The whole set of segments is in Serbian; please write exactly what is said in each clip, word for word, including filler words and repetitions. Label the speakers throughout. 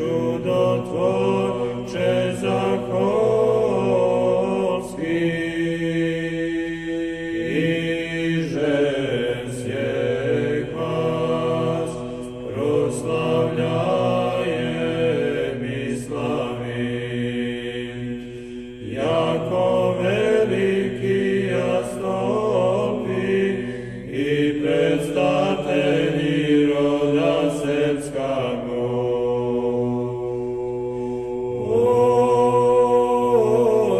Speaker 1: Čudotvorče Zakolski, jako veliki jastopi i predstavitelji roda srpskog.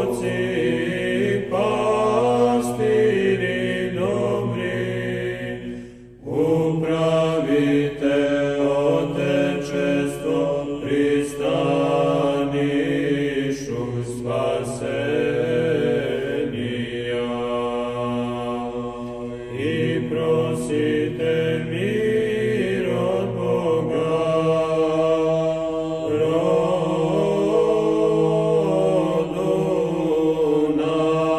Speaker 1: Oci, pastiri dobri, upravite Otečestvo pristanišu spasenija i prosite mir od Boga rodu našemu.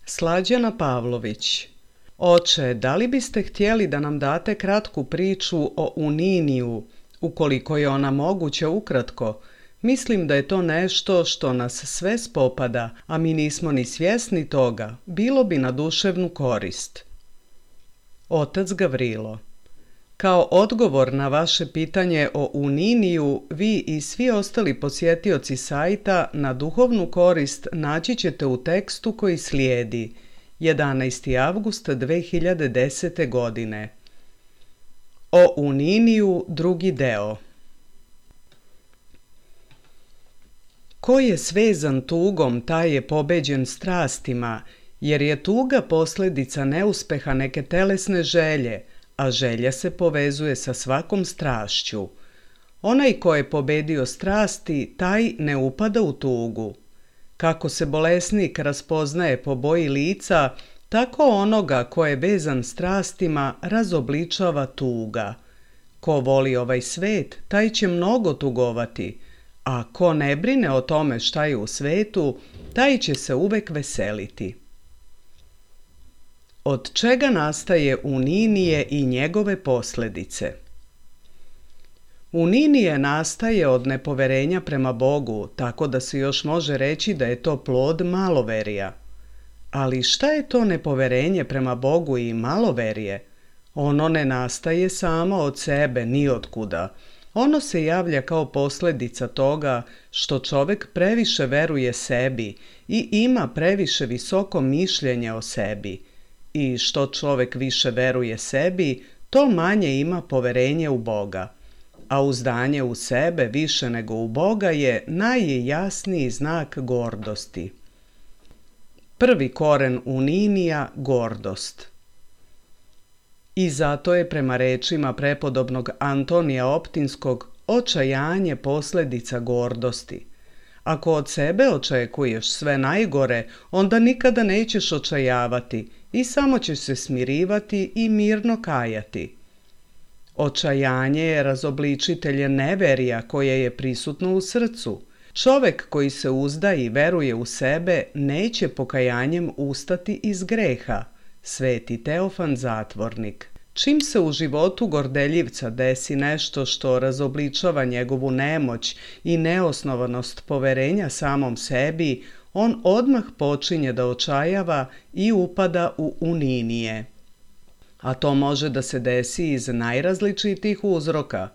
Speaker 2: Slađana Pavlović. Oče, da li biste htjeli da nam date kratku priču o Uniniju, ukoliko je ona moguća ukratko? Mislim da je to nešto što nas sve spopada, a mi nismo ni svjesni toga. Bilo bi na duševnu korist. Otac Gavrilo. Kao odgovor na vaše pitanje o Uniniju, vi i svi ostali posjetioci sajta na duhovnu korist naći ćete u tekstu koji slijedi, jedanaesti avgust dve hiljade desete. godine. O Uniniju, drugi deo. Ko je svezan tugom, taj je pobeđen strastima, jer je tuga posljedica neuspeha neke telesne želje, a želja se povezuje sa svakom strašću. Onaj ko je pobedio strasti, taj ne upada u tugu. Kako se bolesnik raspoznaje po boji lica, tako onoga ko je vezan strastima razobličava tuga. Ko voli ovaj svet, taj će mnogo tugovati, a ko ne brine o tome šta je u svetu, taj će se uvek veseliti. Od čega nastaje Uninije i njegove posljedice? Uninije nastaje od nepoverenja prema Bogu, tako da se još može reći da je to plod maloverija. Ali šta je to nepoverenje prema Bogu i maloverije? Ono ne nastaje samo od sebe, ni od kuda. Ono se javlja kao posljedica toga što čovjek previše veruje sebi i ima previše visoko mišljenje o sebi. I što čovjek više veruje sebi, to manje ima poverenje u Boga. A uzdanje u sebe više nego u Boga je najjasniji znak gordosti. Prvi koren Uninija gordost. I zato je prema rečima prepodobnog Antonija Optinskog očajanje posljedica gordosti. Ako od sebe očekuješ sve najgore, onda nikada nećeš očajavati i samo ćeš se smirivati i mirno kajati. Očajanje je razobličitelj neverija koje je prisutno u srcu. Čovjek koji se uzda i veruje u sebe neće pokajanjem ustati iz greha. Sveti Teofan Zatvornik. Čim se u životu gordeljivca desi nešto što razobličava njegovu nemoć i neosnovanost poverenja samom sebi, on odmah počinje da očajava i upada u Uninije. A to može da se desi iz najrazličitijih uzroka,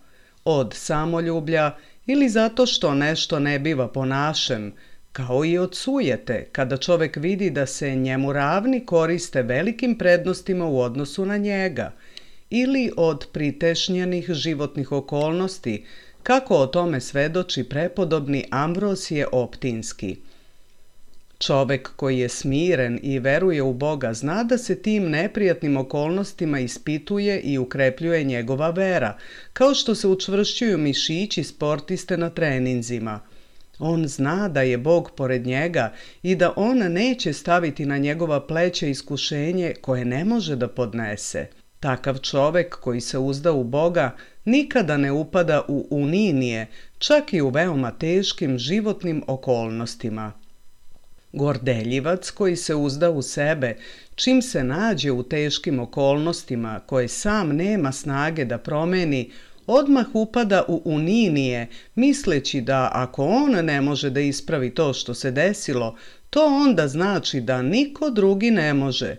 Speaker 2: od samoljublja ili zato što nešto ne biva po našem, kao i od sujete, kada čovjek vidi da se njemu ravni koriste velikim prednostima u odnosu na njega, ili od pritešnjenih životnih okolnosti, kako o tome svedoči prepodobni Ambrosije Optinski. Čovjek koji je smiren i veruje u Boga zna da se tim neprijatnim okolnostima ispituje i ukrepljuje njegova vera, kao što se učvršćuju mišići sportiste na treninzima. On zna da je Bog pored njega i da on neće staviti na njegova pleća iskušenje koje ne može da podnese. Takav čovjek koji se uzda u Boga nikada ne upada u Uninije, čak i u veoma teškim životnim okolnostima. Gordeljivac koji se uzda u sebe, čim se nađe u teškim okolnostima koje sam nema snage da promeni, odmah upada u Uninije, misleći da ako on ne može da ispravi to što se desilo, to onda znači da niko drugi ne može.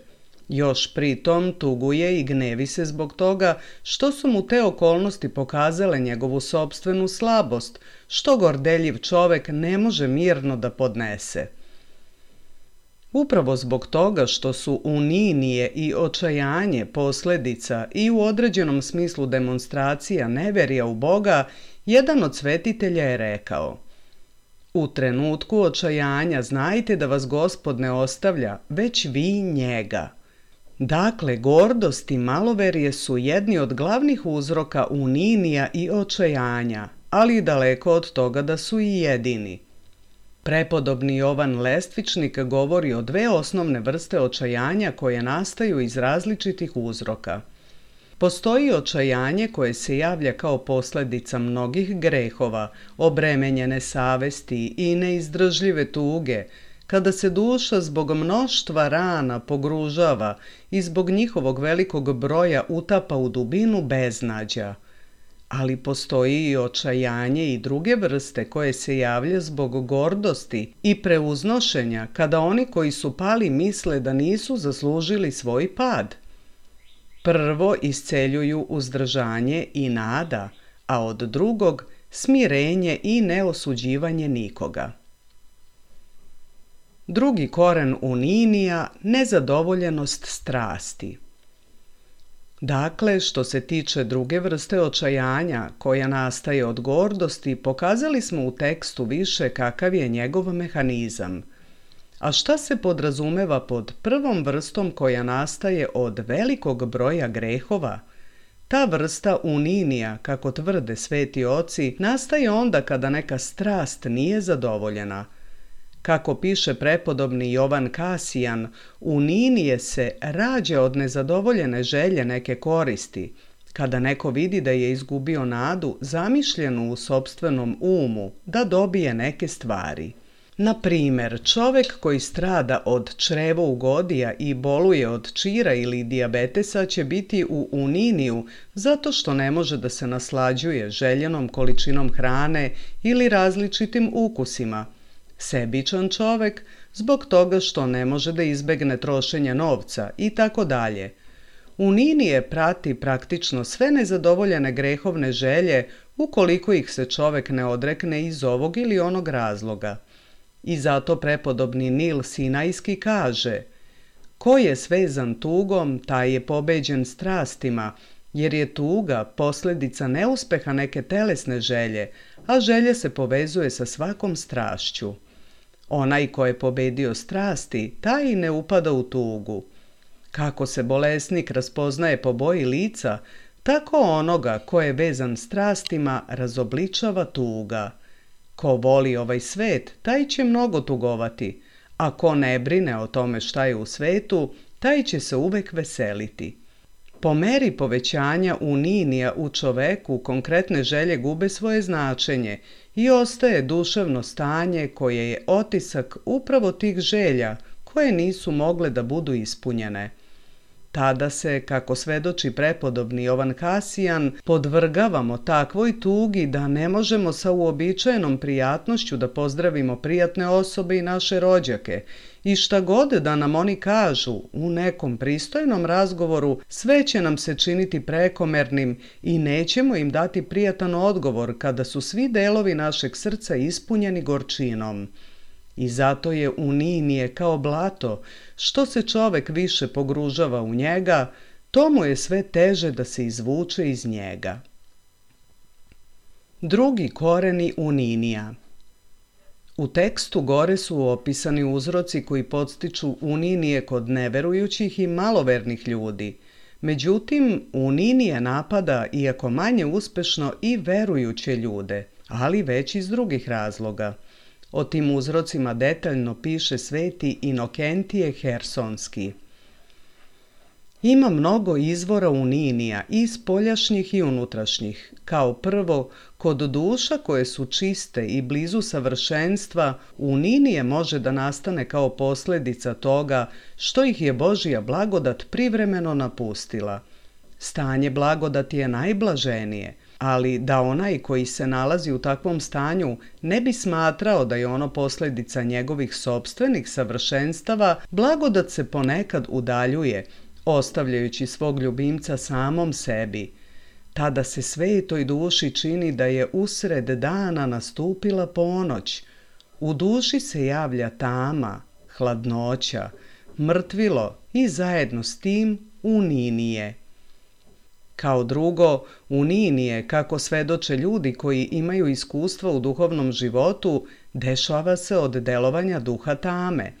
Speaker 2: Još pritom tuguje i gnevi se zbog toga što su mu te okolnosti pokazale njegovu sopstvenu slabost, što gordeljiv čovek ne može mirno da podnese. Upravo zbog toga što su uninije i očajanje posljedica i u određenom smislu demonstracija neverija u Boga, jedan od svetitelja je rekao: u trenutku očajanja znajte da vas Gospod ne ostavlja, već vi njega. Dakle, gordost i maloverje su jedni od glavnih uzroka uninija i očajanja, ali daleko od toga da su i jedini. Prepodobni Jovan Lestvičnik govori o dve osnovne vrste očajanja koje nastaju iz različitih uzroka. Postoji očajanje koje se javlja kao posljedica mnogih grehova, obremenjene savesti i neizdržljive tuge, kada se duša zbog mnoštva rana pogružava i zbog njihovog velikog broja utapa u dubinu beznađa. Ali postoji i očajanje i druge vrste koje se javlja zbog gordosti i preuznošenja, kada oni koji su pali misle da nisu zaslužili svoj pad. Prvo isceljuju uzdržanje i nada, a od drugog smirenje i neosuđivanje nikoga. Drugi koren uninija, nezadovoljenost strasti. Dakle, što se tiče druge vrste očajanja, koja nastaje od gordosti, pokazali smo u tekstu više kakav je njegov mehanizam. A šta se podrazumeva pod prvom vrstom koja nastaje od velikog broja grehova? Ta vrsta uninija, kako tvrde sveti oci, nastaje onda kada neka strast nije zadovoljena. Kako piše prepodobni Jovan Kasijan, uninije se rađa od nezadovoljene želje neke koristi, kada neko vidi da je izgubio nadu zamišljenu u sopstvenom umu da dobije neke stvari. Na primjer, čovek koji strada od črevougodija i boluje od čira ili dijabetesa će biti u uniniju zato što ne može da se naslađuje željenom količinom hrane ili različitim ukusima. Sebičan čovek zbog toga što ne može da izbegne trošenje novca i tako dalje. Uninije prati praktično sve nezadovoljene grehovne želje ukoliko ih se čovek ne odrekne iz ovog ili onog razloga. I zato prepodobni Nil Sinajski kaže: ko je svezan tugom, taj je pobeđen strastima, jer je tuga posljedica neuspeha neke telesne želje, a želje se povezuje sa svakom strašću. Onaj ko je pobedio strasti, taj i ne upada u tugu. Kako se bolesnik raspoznaje po boji lica, tako onoga ko je vezan strastima razobličava tuga. Ko voli ovaj svet, taj će mnogo tugovati, a ko ne brine o tome šta je u svetu, taj će se uvek veseliti. Po meri povećanja uninija u čoveku konkretne želje gube svoje značenje i ostaje duševno stanje koje je otisak upravo tih želja koje nisu mogle da budu ispunjene. Tada se, kako svedoči prepodobni Jovan Kasijan, podvrgavamo takvoj tugi da ne možemo sa uobičajenom prijatnošću da pozdravimo prijatne osobe i naše rođake i šta god da nam oni kažu u nekom pristojnom razgovoru, sve će nam se činiti prekomernim i nećemo im dati prijatan odgovor kada su svi delovi našeg srca ispunjeni gorčinom. I zato je uninije kao blato, što se čovek više pogružava u njega, to mu je sve teže da se izvuče iz njega. Drugi koreni uninija. U tekstu gore su opisani uzroci koji podstiču uninije kod neverujućih i malovernih ljudi. Međutim, uninije napada, iako manje uspešno, i verujuće ljude, ali već iz drugih razloga. O tim uzrocima detaljno piše sveti Inokentije Hersonski. Ima mnogo izvora uninija, i spoljašnjih i unutrašnjih. Kao prvo, kod duša koje su čiste i blizu savršenstva, uninije može da nastane kao posljedica toga što ih je Božja blagodat privremeno napustila. Stanje blagodati je najblaženije, ali da onaj koji se nalazi u takvom stanju ne bi smatrao da je ono posljedica njegovih sopstvenih savršenstava, blagodat se ponekad udaljuje, ostavljajući svog ljubimca samom sebi. Tada se svetoj duši čini da je usred dana nastupila ponoć. U duši se javlja tama, hladnoća, mrtvilo i zajedno s tim uninije. Kao drugo, uninije, kako svedoče ljudi koji imaju iskustva u duhovnom životu, dešava se od delovanja duha tame.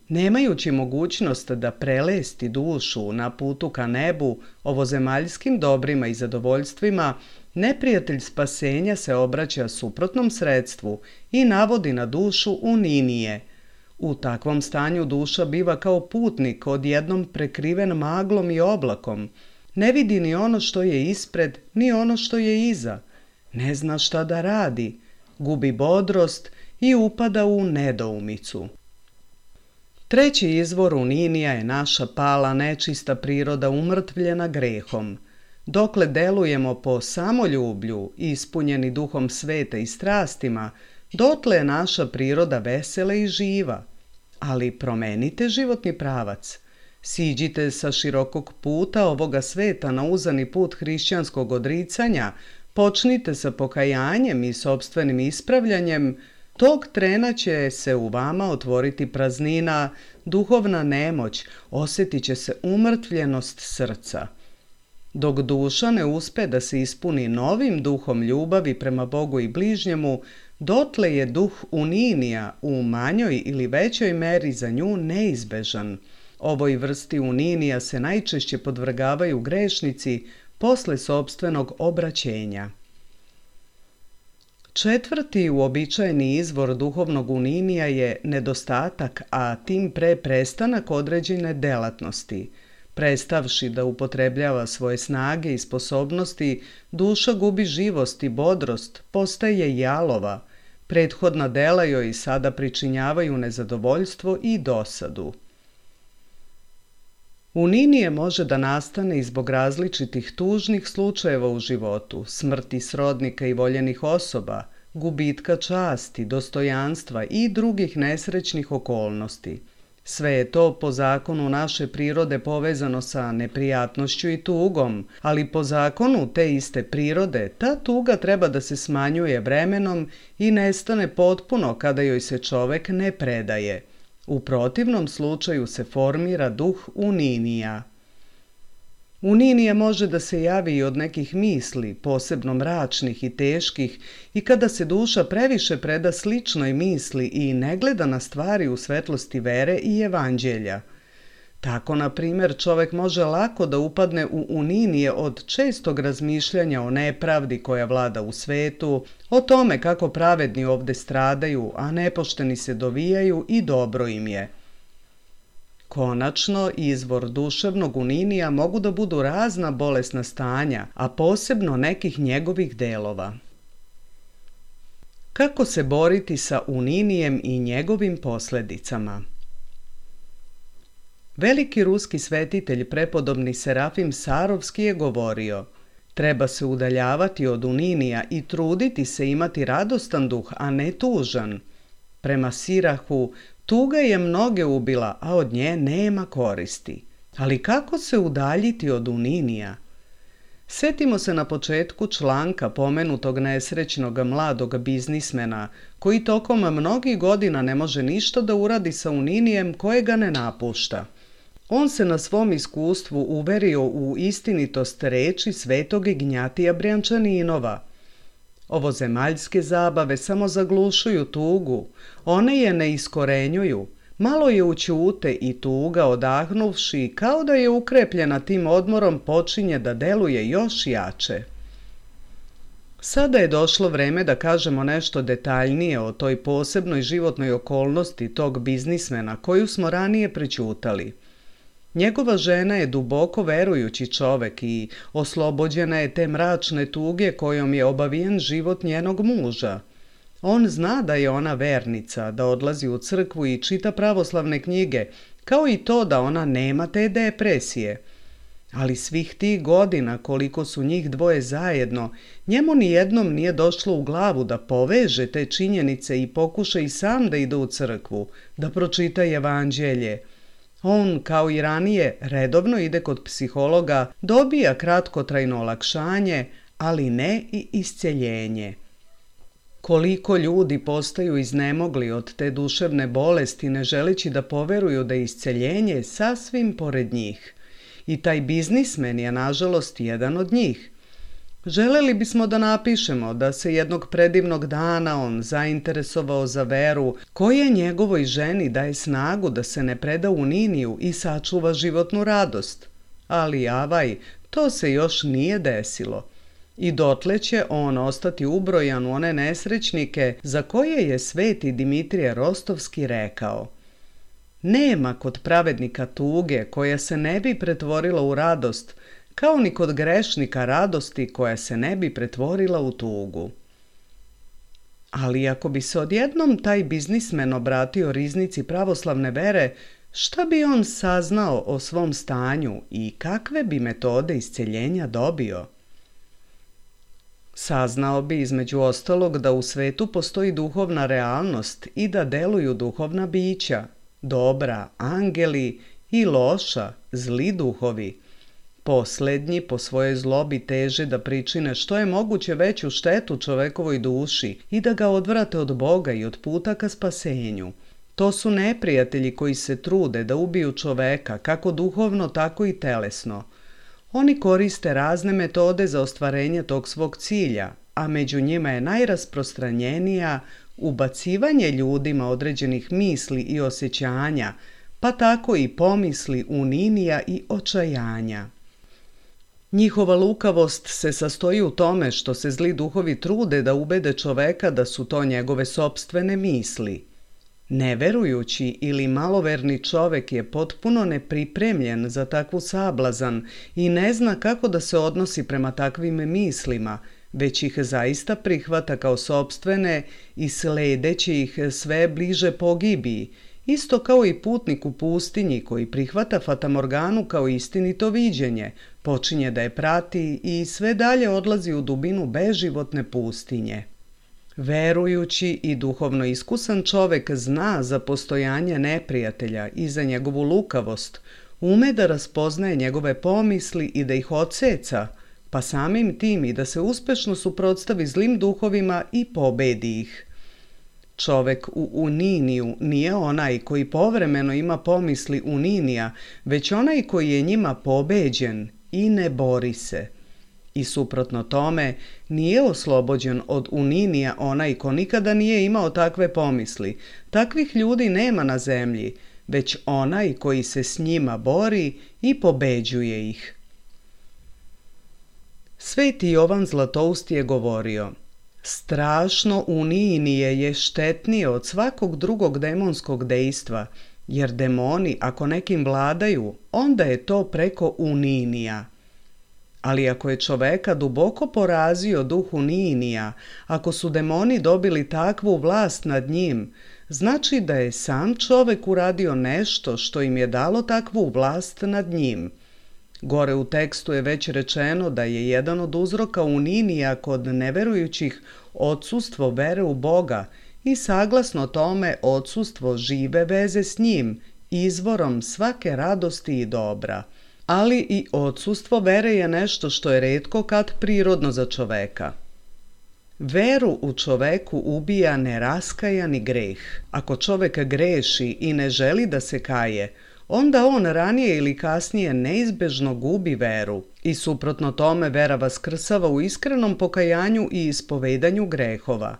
Speaker 2: Nemajući mogućnost da prelesti dušu na putu ka nebu ovozemaljskim dobrima i zadovoljstvima, neprijatelj spasenja se obraća suprotnom sredstvu i navodi na dušu uninije. U takvom stanju duša biva kao putnik odjednom prekriven maglom i oblakom. Ne vidi ni ono što je ispred, ni ono što je iza. Ne zna šta da radi, gubi bodrost i upada u nedoumicu. Treći izvor uninija je naša pala nečista priroda umrtvljena grehom. Dokle delujemo po samoljublju, ispunjeni duhom sveta i strastima, dotle je naša priroda vesela i živa. Ali promenite životni pravac. Siđite sa širokog puta ovoga sveta na uzani put hrišćanskog odricanja, počnite sa pokajanjem i sopstvenim ispravljanjem, tog trena će se u vama otvoriti praznina, duhovna nemoć, osjetit će se umrtvljenost srca. Dok duša ne uspe da se ispuni novim duhom ljubavi prema Bogu i bližnjemu, dotle je duh uninija u manjoj ili većoj meri za nju neizbežan. Ovoj vrsti uninija se najčešće podvrgavaju grešnici posle sopstvenog obraćenja. Četvrti uobičajeni izvor duhovnog uninija je nedostatak, a tim pre prestanak određene delatnosti. Prestavši da upotrebljava svoje snage i sposobnosti, duša gubi živost i bodrost, postaje jalova. Prethodna dela joj sada pričinjavaju nezadovoljstvo i dosadu. Uninije može da nastane i zbog različitih tužnih slučajeva u životu, smrti srodnika i voljenih osoba, gubitka časti, dostojanstva i drugih nesrećnih okolnosti. Sve je to po zakonu naše prirode povezano sa neprijatnošću i tugom, ali po zakonu te iste prirode ta tuga treba da se smanjuje vremenom i nestane potpuno kada joj se čovek ne predaje. U protivnom slučaju se formira duh uninija. Uninija može da se javi i od nekih misli, posebno mračnih i teških, i kada se duša previše preda sličnoj misli i ne gleda na stvari u svetlosti vere i evanđelja. Tako, na primjer, čovek može lako da upadne u uninije od čestog razmišljanja o nepravdi koja vlada u svetu, o tome kako pravedni ovde stradaju, a nepošteni se dovijaju i dobro im je. Konačno, izvor duševnog uninija mogu da budu razna bolesna stanja, a posebno nekih njegovih delova. Kako se boriti sa uninijem i njegovim posledicama? Veliki ruski svetitelj prepodobni Serafim Sarovski je govorio: treba se udaljavati od uninija i truditi se imati radostan duh, a ne tužan. Prema Sirahu, tuga je mnoge ubila, a od nje nema koristi. Ali kako se udaljiti od uninija? Setimo se na početku članka pomenutog nesrećnog mladog biznismena, koji tokom mnogih godina ne može ništa da uradi sa uninijem koje ga ne napušta. On se na svom iskustvu uverio u istinitost reči svetog Ignjatija Brjančaninova. Ovozemaljske zabave samo zaglušuju tugu, one je ne iskorenjuju, malo je ućute i tuga, odahnuvši, kao da je ukrepljena tim odmorom, počinje da deluje još jače. Sada je došlo vreme da kažemo nešto detaljnije o toj posebnoj životnoj okolnosti tog biznismena koju smo ranije prećutali. Njegova žena je duboko verujući čovek i oslobođena je te mračne tuge kojom je obavijen život njenog muža. On zna da je ona vernica, da odlazi u crkvu i čita pravoslavne knjige, kao i to da ona nema te depresije. Ali svih tih godina koliko su njih dvoje zajedno, njemu nijednom nije došlo u glavu da poveže te činjenice i pokuša i sam da ide u crkvu, da pročita evanđelje. On, kao i ranije, redovno ide kod psihologa, dobija kratkotrajno olakšanje, ali ne i isceljenje. Koliko ljudi postaju iznemogli od te duševne bolesti ne želeći da poveruju da je isceljenje sasvim pored njih. I taj biznismen je, nažalost, jedan od njih. Želeli bismo da napišemo da se jednog predivnog dana on zainteresovao za veru, koja njegovoj ženi daje snagu da se ne preda u niniju i sačuva životnu radost. Ali avaj, to se još nije desilo. I dotle će on ostati ubrojan u one nesrećnike za koje je sveti Dimitrije Rostovski rekao: nema kod pravednika tuge koja se ne bi pretvorila u radost, kao ni kod grešnika radosti koja se ne bi pretvorila u tugu. Ali ako bi se odjednom taj biznismen obratio riznici pravoslavne vere, šta bi on saznao o svom stanju i kakve bi metode isceljenja dobio? Saznao bi između ostalog da u svetu postoji duhovna realnost i da deluju duhovna bića, dobra, angeli, i loša, zli duhovi. Poslednji po svojoj zlobi teže da pričine što je moguće veću štetu čovekovoj duši i da ga odvrate od Boga i od puta ka spasenju. To su neprijatelji koji se trude da ubiju čoveka, kako duhovno, tako i telesno. Oni koriste razne metode za ostvarenje tog svog cilja, a među njima je najrasprostranjenija ubacivanje ljudima određenih misli i osjećanja, pa tako i pomisli uninija i očajanja. Njihova lukavost se sastoji u tome što se zli duhovi trude da ubede čoveka da su to njegove sopstvene misli. Neverujući ili maloverni čovek je potpuno nepripremljen za takvu sablazan i ne zna kako da se odnosi prema takvim mislima, već ih zaista prihvata kao sopstvene i sledeći ih sve bliže pogibiji, isto kao i putnik u pustinji koji prihvata fatamorganu kao istinito viđenje, počinje da je prati i sve dalje odlazi u dubinu beživotne pustinje. Verujući i duhovno iskusan čovek zna za postojanje neprijatelja i za njegovu lukavost, ume da raspoznaje njegove pomisli i da ih odseca, pa samim tim i da se uspešno suprotstavi zlim duhovima i pobedi ih. Čovek u uniniju nije onaj koji povremeno ima pomisli uninija, već onaj koji je njima pobeđen i ne bori se. I suprotno tome, nije oslobođen od uninija onaj ko nikada nije imao takve pomisli. Takvih ljudi nema na zemlji, već onaj koji se s njima bori i pobeđuje ih. Sveti Jovan Zlatoust je govorio: strašno uninije je štetnije od svakog drugog demonskog dejstva, jer demoni ako nekim vladaju, onda je to preko uninija. Ali ako je čoveka duboko porazio duh uninija, ako su demoni dobili takvu vlast nad njim, znači da je sam čovek uradio nešto što im je dalo takvu vlast nad njim. Gore u tekstu je već rečeno da je jedan od uzroka uninija kod neverujućih odsustvo vere u Boga i saglasno tome odsustvo žive veze s njim, izvorom svake radosti i dobra. Ali i odsustvo vere je nešto što je retko kad prirodno za čoveka. Veru u čoveku ubija neraskajani greh. Ako čovek greši i ne želi da se kaje, onda on ranije ili kasnije neizbežno gubi veru i suprotno tome vera vaskrsava u iskrenom pokajanju i ispovedanju grehova.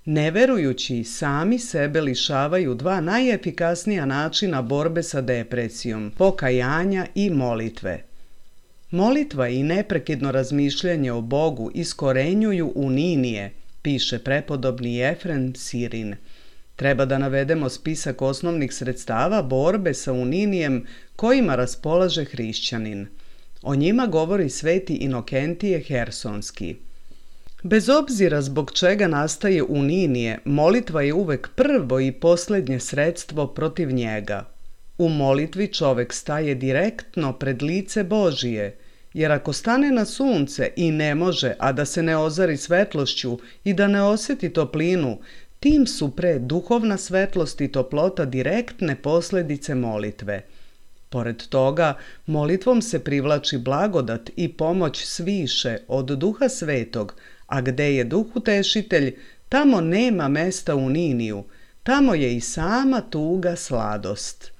Speaker 2: Neverujući sami sebe lišavaju dva najefikasnija načina borbe sa depresijom, pokajanja i molitve. Molitva i neprekidno razmišljanje o Bogu iskorenjuju uninije, piše prepodobni Jefrem Sirin. Treba da navedemo spisak osnovnih sredstava borbe sa uninijem kojima raspolaže hrišćanin. O njima govori sveti Inokentije Hersonski. Bez obzira zbog čega nastaje uninije, molitva je uvek prvo i posljednje sredstvo protiv njega. U molitvi čovek staje direktno pred lice Božije, jer ako stane na sunce i ne može, a da se ne ozari svetlošću i da ne osjeti toplinu, tim su pre duhovna svetlost i toplota direktne posljedice molitve. Pored toga, molitvom se privlači blagodat i pomoć sviše od Duha Svetog, a gde je Duh Utešitelj, tamo nema mesta uniniju, tamo je i sama tuga sladost.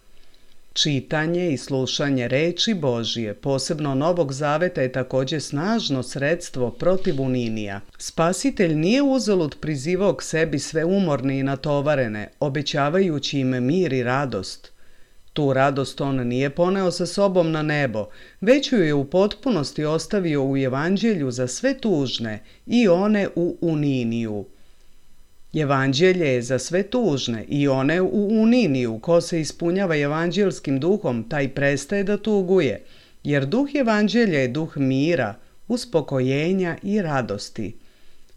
Speaker 2: Čitanje i slušanje reči Božije, posebno Novog Zaveta, je također snažno sredstvo protiv uninija. Spasitelj nije uzalud prizivao k sebi sve umorne i natovarene, obećavajući im mir i radost. Tu radost on nije poneo sa sobom na nebo, već ju je u potpunosti ostavio u evanđelju za sve tužne i one u uniniju. Evanđelje je za sve tužne i one u uniniju. Ko se ispunjava evanđelskim duhom, taj prestaje da tuguje, jer duh evanđelja je duh mira, uspokojenja i radosti.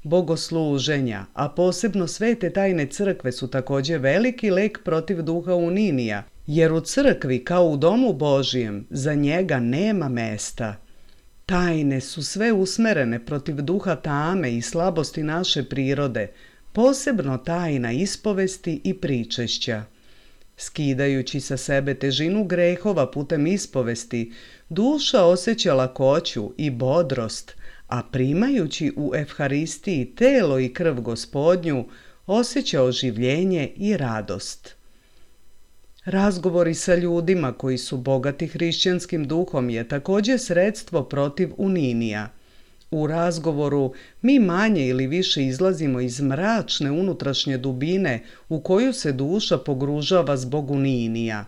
Speaker 2: Bogosluženja, a posebno svete tajne crkve, su također veliki lek protiv duha uninija, jer u crkvi, kao u domu Božijem, za njega nema mesta. Tajne su sve usmerene protiv duha tame i slabosti naše prirode, posebno tajna ispovesti i pričešća. Skidajući sa sebe težinu grehova putem ispovesti, duša osjeća lakoću i bodrost, a primajući u Evharistiji telo i krv Gospodnju, osjeća oživljenje i radost. Razgovori sa ljudima koji su bogati hrišćanskim duhom je također sredstvo protiv uninija. U razgovoru mi manje ili više izlazimo iz mračne unutrašnje dubine u koju se duša pogružava zbog uninija.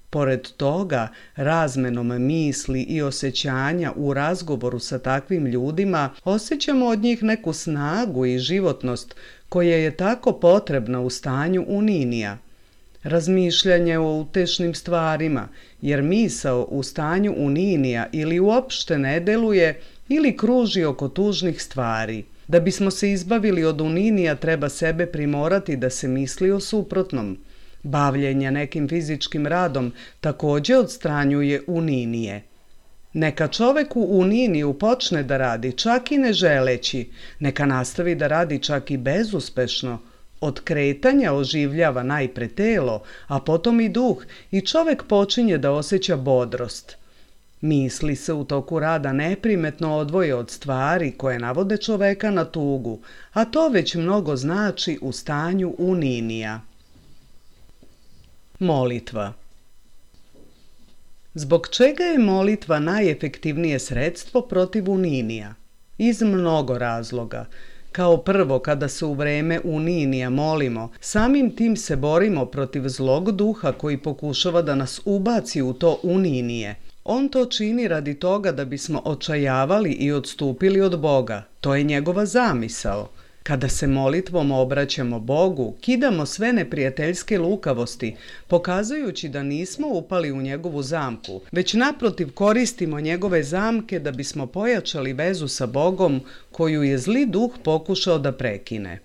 Speaker 2: Pored toga, razmenom misli i osjećanja u razgovoru sa takvim ljudima osjećamo od njih neku snagu i životnost koja je tako potrebna u stanju uninija. Razmišljanje o utešnim stvarima, jer misao u stanju uninija ili uopšte ne deluje ili kruži oko tužnih stvari. Da bismo se izbavili od uninija, treba sebe primorati da se misli o suprotnom. Bavljenje nekim fizičkim radom također odstranjuje uninije. Neka čovek u uniniju počne da radi čak i ne želeći, neka nastavi da radi čak i bezuspešno. Od kretanja oživljava najpre telo, a potom i duh, i čovek počinje da osjeća bodrost. Misli se u toku rada neprimetno odvoje od stvari koje navode čoveka na tugu, a to već mnogo znači u stanju uninija. Molitva. Zbog čega je molitva najefektivnije sredstvo protiv uninija? Iz mnogo razloga. Kao prvo, kada se u vreme uninija molimo, samim tim se borimo protiv zlog duha koji pokušava da nas ubaci u to uninije. On to čini radi toga da bismo očajavali i odstupili od Boga. To je njegova zamisao. Kada se molitvom obraćamo Bogu, kidamo sve neprijateljske lukavosti, pokazujući da nismo upali u njegovu zamku, već naprotiv koristimo njegove zamke da bismo pojačali vezu sa Bogom koju je zli duh pokušao da prekine.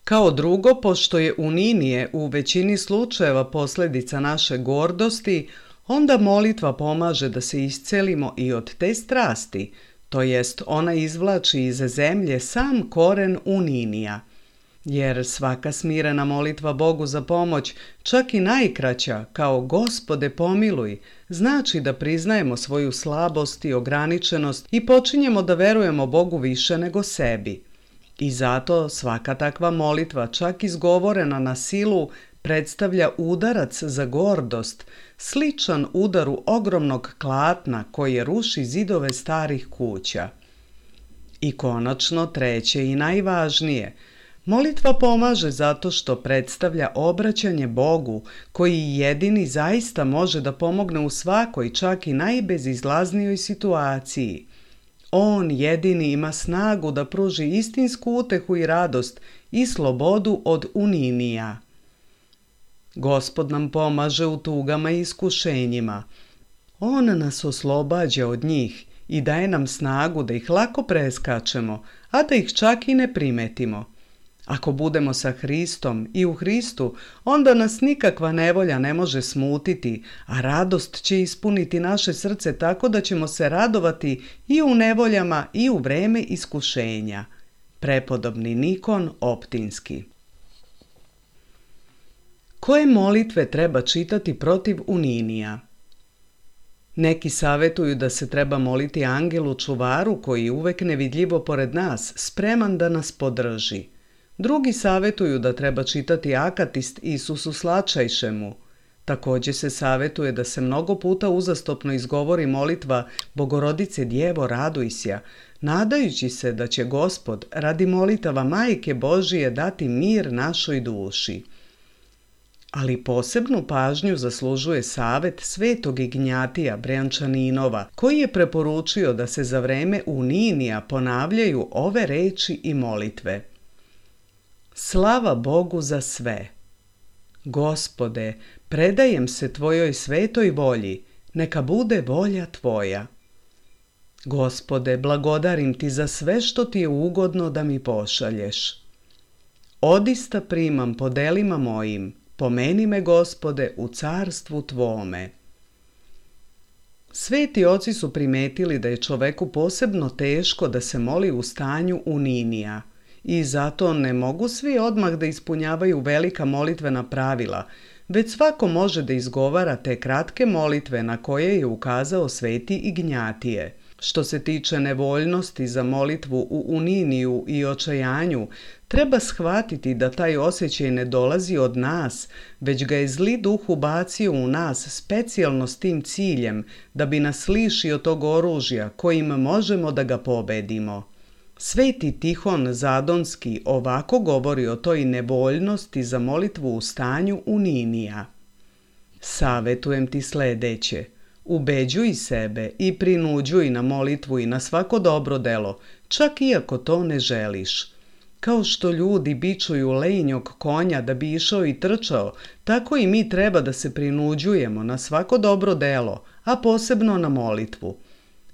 Speaker 2: Kao drugo, pošto je uninije u većini slučajeva posljedica naše gordosti, onda molitva pomaže da se iscelimo i od te strasti, to jest ona izvlači iz zemlje sam koren uninija. Jer svaka smirena molitva Bogu za pomoć, čak i najkraća, kao Gospode pomiluj, znači da priznajemo svoju slabost i ograničenost i počinjemo da verujemo Bogu više nego sebi. I zato svaka takva molitva, čak izgovorena na silu, predstavlja udarac za gordost, sličan udaru ogromnog klatna koje ruši zidove starih kuća. I konačno, treće i najvažnije, molitva pomaže zato što predstavlja obraćanje Bogu, koji jedini zaista može da pomogne u svakoj, čak i najbezizlaznijoj situaciji. On jedini ima snagu da pruži istinsku utehu i radost i slobodu od uninija. Gospod nam pomaže u tugama i iskušenjima. On nas oslobađa od njih i daje nam snagu da ih lako preskačemo, a da ih čak i ne primetimo. Ako budemo sa Hristom i u Hristu, onda nas nikakva nevolja ne može smutiti, a radost će ispuniti naše srce tako da ćemo se radovati i u nevoljama i u vreme iskušenja. Prepodobni Nikon Optinski. Koje molitve treba čitati protiv uninija? Neki savjetuju da se treba moliti angelu čuvaru koji je uvek nevidljivo pored nas, spreman da nas podrži. Drugi savjetuju da treba čitati akatist Isusu Slačajšemu. Također se savjetuje da se mnogo puta uzastopno izgovori molitva Bogorodice Djevo Radujsja, nadajući se da će Gospod radi molitava Majke Božije dati mir našoj duši. Ali posebnu pažnju zaslužuje savjet svetog Ignjatija Brjančaninova, koji je preporučio da se za vreme uninija ponavljaju ove reči i molitve. Slava Bogu za sve. Gospode, predajem se Tvojoj svetoj volji, neka bude volja Tvoja. Gospode, blagodarim Ti za sve što Ti je ugodno da mi pošalješ. Odista primam po delima mojim, pomeni me, Gospode, u carstvu Tvome. Sveti oci su primetili da je čoveku posebno teško da se moli u stanju uninija i zato ne mogu svi odmah da ispunjavaju velika molitvena pravila, već svako može da izgovara te kratke molitve na koje je ukazao sveti Ignjatije. Što se tiče nevoljnosti za molitvu u uniniju i očajanju, treba shvatiti da taj osjećaj ne dolazi od nas, već ga je zli duh ubacio u nas specijalno s tim ciljem, da bi nas lišio tog oružja kojim možemo da ga pobedimo. Sveti Tihon Zadonski ovako govori o toj nevoljnosti za molitvu u stanju uninija. Savetujem ti sledeće. Ubeđuj sebe i prinuđuj na molitvu i na svako dobro delo, čak i ako to ne želiš. Kao što ljudi bičuju lenjog konja da bi išao i trčao, tako i mi treba da se prinuđujemo na svako dobro delo, a posebno na molitvu.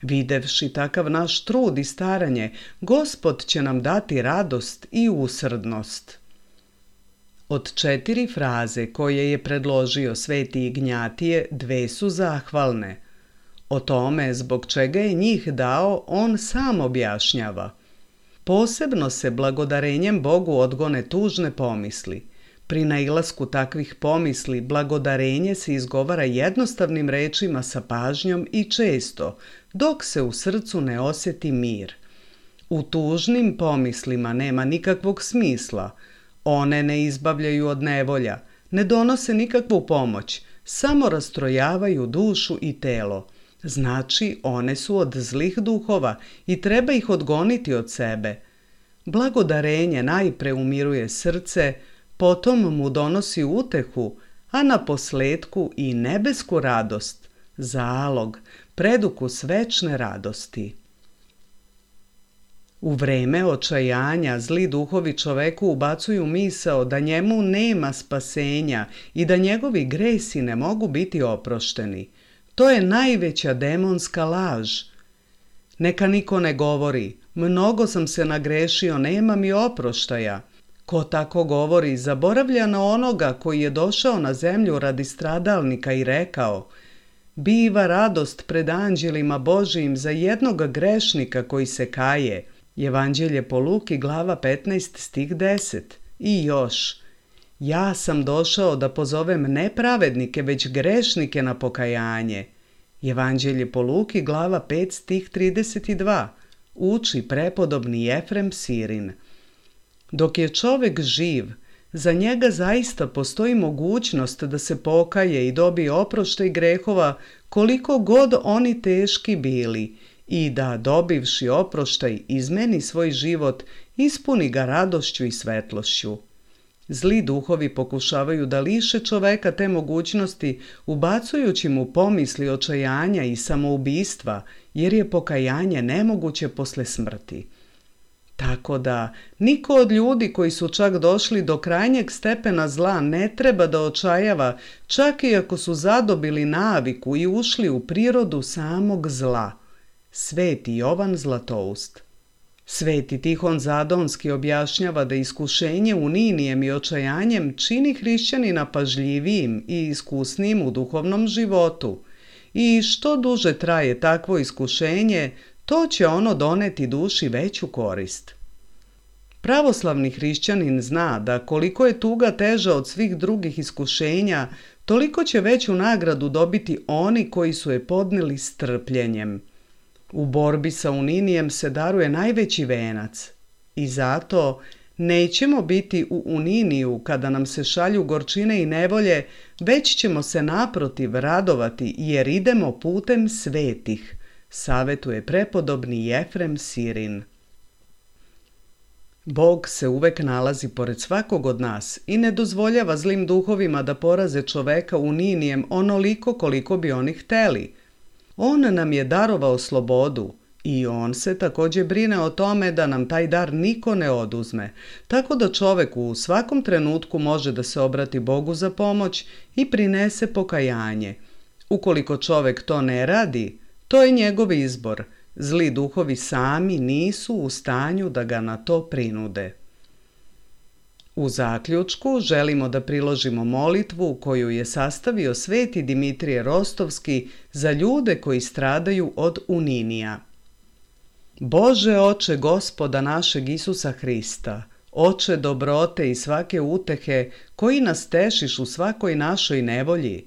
Speaker 2: Videvši takav naš trud i staranje, Gospod će nam dati radost i usrdnost. Od četiri fraze koje je predložio sveti Ignjatije, dve su zahvalne. O tome zbog čega je njih dao, on sam objašnjava. Posebno se blagodarenjem Bogu odgone tužne pomisli. Pri nailasku takvih pomisli blagodarenje se izgovara jednostavnim rečima sa pažnjom i često, dok se u srcu ne osjeti mir. U tužnim pomislima nema nikakvog smisla. One ne izbavljaju od nevolja, ne donose nikakvu pomoć, samo rastrojavaju dušu i telo. Znači, one su od zlih duhova i treba ih odgoniti od sebe. Blagodarenje najpre umiruje srce, potom mu donosi utehu, a na posletku i nebesku radost, zalog, predukus večne radosti. U vreme očajanja zli duhovi čoveku ubacuju misao da njemu nema spasenja i da njegovi gresi ne mogu biti oprošteni. To je najveća demonska laž. Neka niko ne govori, mnogo sam se nagrešio, nema mi oproštaja. Ko tako govori, zaboravlja na onoga koji je došao na zemlju radi stradalnika i rekao: biva radost pred anđelima Božijim za jednog grešnika koji se kaje. Evanđelje po Luki, glava petnaest, stih deset. I još: ja sam došao da pozovem ne pravednike, već grešnike na pokajanje. Evanđelje po Luki, glava pet, stih trideset dva. Uči prepodobni Jefrem Sirin. Dok je čovek živ, za njega zaista postoji mogućnost da se pokaje i dobije oproštaj grehova koliko god oni teški bili i da, dobivši oproštaj, izmeni svoj život, ispuni ga radošću i svetlošću. Zli duhovi pokušavaju da liše čoveka te mogućnosti, ubacujući mu pomisli očajanja i samoubistva, jer je pokajanje nemoguće posle smrti. Tako da, niko od ljudi koji su čak došli do krajnjeg stepena zla ne treba da očajava, čak i ako su zadobili naviku i ušli u prirodu samog zla. Sveti Jovan Zlatoust. Sveti Tihon Zadonski objašnjava da iskušenje uninijem i očajanjem čini hrišćanina pažljivijim i iskusnijim u duhovnom životu. I što duže traje takvo iskušenje, to će ono doneti duši veću korist. Pravoslavni hrišćanin zna da koliko je tuga teža od svih drugih iskušenja, toliko će veću nagradu dobiti oni koji su je podnijeli s trpljenjem. U borbi sa uninijem se daruje najveći venac i zato nećemo biti u uniniju kada nam se šalju gorčine i nevolje, već ćemo se naprotiv radovati jer idemo putem svetih, savjetuje prepodobni Jefrem Sirin. Bog se uvek nalazi pored svakog od nas i ne dozvoljava zlim duhovima da poraze čoveka uninijem onoliko koliko bi oni hteli. On nam je darovao slobodu i on se također brine o tome da nam taj dar niko ne oduzme, tako da čovek u svakom trenutku može da se obrati Bogu za pomoć i prinese pokajanje. Ukoliko čovek to ne radi, to je njegov izbor. Zli duhovi sami nisu u stanju da ga na to prinude. U zaključku želimo da priložimo molitvu koju je sastavio sveti Dimitrije Rostovski za ljude koji stradaju od uninija. Bože oče Gospoda našeg Isusa Hrista, oče dobrote i svake utehe koji nas tešiš u svakoj našoj nevolji,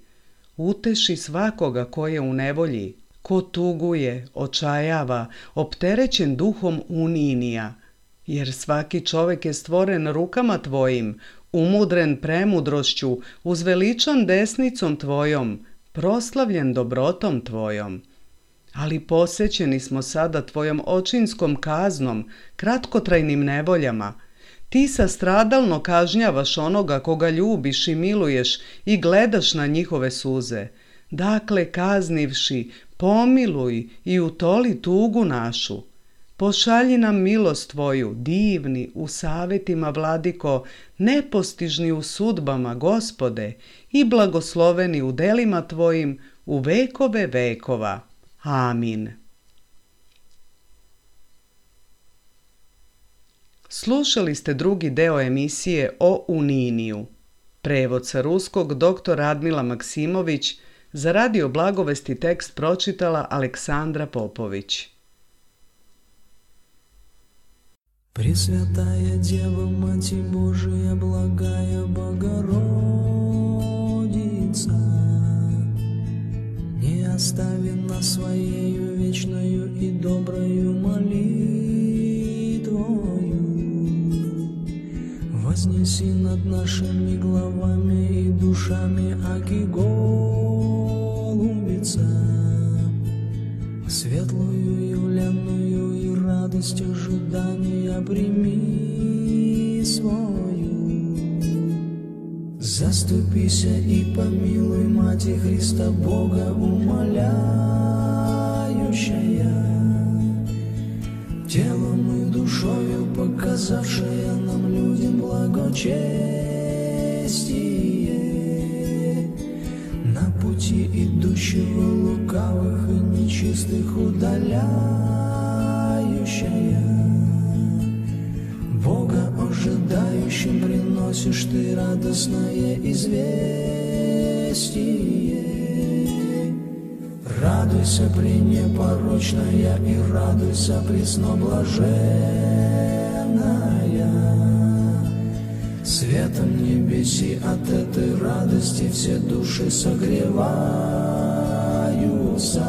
Speaker 2: uteši svakoga ko je u nevolji, ko tuguje, očajava, opterećen duhom uninija, jer svaki čovek je stvoren rukama tvojim, umudren premudrošću, uzveličan desnicom tvojom, proslavljen dobrotom tvojom. Ali posećeni smo sada tvojom očinskom kaznom, kratkotrajnim nevoljama. Ti sastradalno kažnjavaš onoga koga ljubiš i miluješ i gledaš na njihove suze. Dakle, kaznivši, pomiluj i utoli tugu našu. Pošalji nam milost tvoju, divni u savjetima, vladiko, nepostižni u sudbama, Gospode, i blagosloveni u delima tvojim u vekove vekova. Amin. Slušali ste drugi deo emisije o uniniju. Prevod sa ruskog dr. Radmila Maksimović, za Radio Blagovesti tekst pročitala Aleksandra Popović.
Speaker 3: Пресвятая Дева, Мать Божия, благая Богородица, не остави нас Своею вечною и доброю молитвою. Вознеси над нашими главами и душами аки голубица, светлую явленную и радость ожидания прими свою. Заступися и помилуй, Мати Христа Бога умоляющая, телом и душою показавшая нам людям благочестие, на пути идущего лукавых и нечистых удаляющая. Бога ожидающим приносишь ты радостное известие. Радуйся, пренепорочная, и радуйся, пресноблаженная. Светом небеси от этой радости все души согреваются.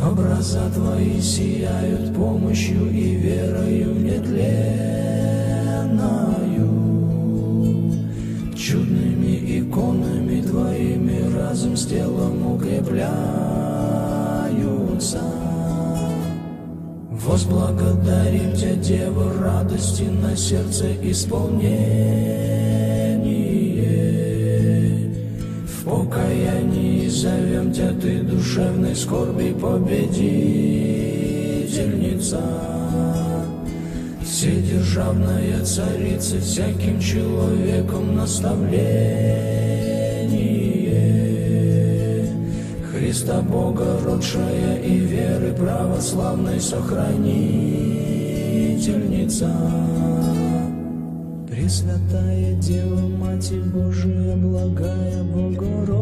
Speaker 3: Образа твои сияют помощью и верою нетленною. Чудными иконами твоими разум с телом укрепляются. Возблагодарим Тебя, Дева, радости на сердце исполнение. В покаянии зовем Тебя, Ты душевной скорби победительница. Вседержавная Царица, всяким человеком наставление. Христа Бога родшая и веры православной сохранительница. Пресвятая Дева, Матерь Божия, благая Богородица,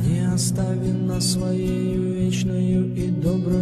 Speaker 3: не остави нас своею вечною и доброю